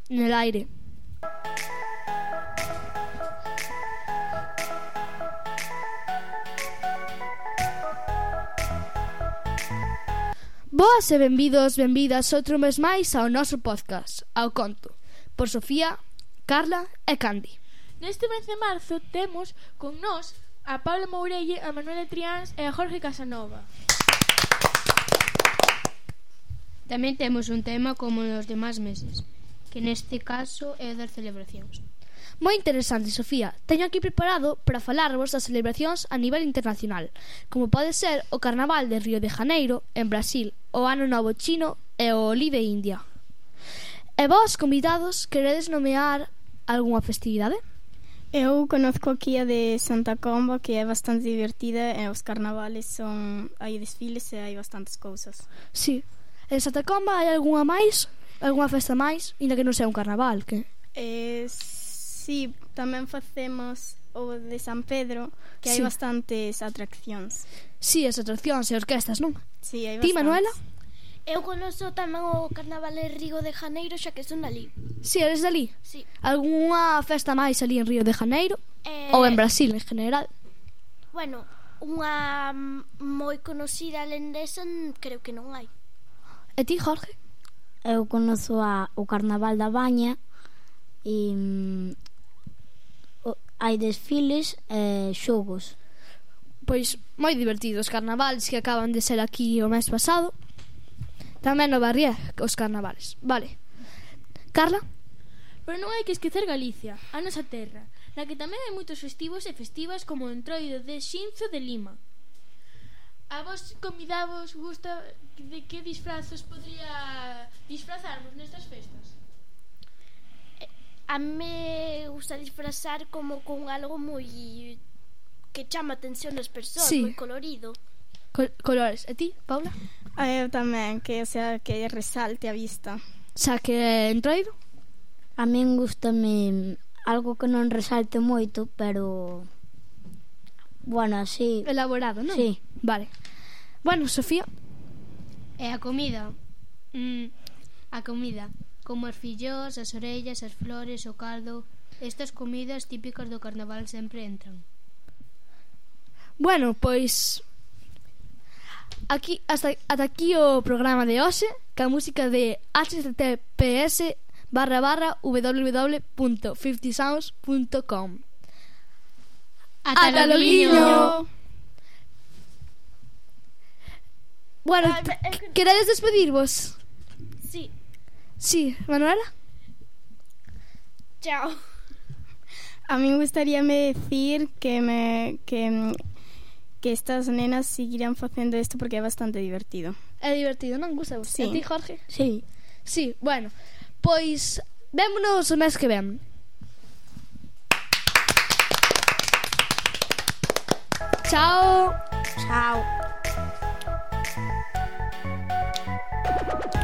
en el aire. Boas e benvidos, benvidas outro mes máis ao noso podcast, ao conto, por Sofía, Carla e Candy. Neste mes de marzo temos con nós a Paula Mourelle, a Manuela Triáns e a Jorge Casanova. Tamén temos un tema como nos demás meses, que neste caso é o das celebracións. Moi interesante, Sofía. Teño aquí preparado para falarvos das celebracións a nivel internacional, como pode ser o Carnaval de Río de Janeiro, en Brasil, o Ano Novo Chino e o Holi de India. E vós, convidados, queredes nomear algunha festividade? Eu conozco aquí a de Santa Comba, que é bastante divertida, e os carnavales hai desfiles e hai bastantes cousas. Sí. En Santa Comba hai algunha máis? Algunha festa máis? Inda que non sea un carnaval, que... Sí, tamén facemos o de San Pedro, que hai Sí. bastantes atraccións. Sí, as atraccións e orquestas, non? Sí, hai Ti, bastantes. Manuela? Eu conozo tamén o Carnaval de Río de Janeiro, xa que son dali. Si, eres dali? Sí. Algunha festa máis ali en Río de Janeiro? Ou en Brasil, en general? Bueno, unha moi conocida lendesa creo que non hai. E ti, Jorge? Eu conozo o Carnaval da Baña e hai desfiles e xogos. Pois moi divertidos os carnavales que acaban de ser aquí o mes pasado. Tamén no Barrié os carnavales. Vale. Carla? Pero non hai que esquecer Galicia, a nosa terra, na que tamén hai moitos festivos e festivas como o Entroido de Xinzo de Lima. A vos convidavos gusta de que disfrazos podría disfrazarmos nestas festas? A me gusta disfrazar como con algo moi que chama a atención das persoas, Sí. moi colorido. Colores. E ti, Paula? Eu tamén, que resalte a vista. Xa que entroido? A min gustame algo que non resalte moito, pero bueno, así. Elaborado, non? Sí. Vale. Bueno, Sofía? E a comida? A comida, como as fillós, as orellas, as flores, o caldo. Estas comidas típicas do carnaval sempre entran. Bueno, pois aquí ata aquí o programa de hoxe, ca música de https://www.50sounds.com. Ata loguiño. Bueno, queredes despedirvos? Sí. Sí, Manuela? Chao. A mí gustaríame decir que estas nenas seguirán facendo isto porque é bastante divertido. É divertido, non? Gusta vos? Sí. E ti, Jorge? Sí. Sí, bueno, pois vémonos o mes que ven. Chao. Chao.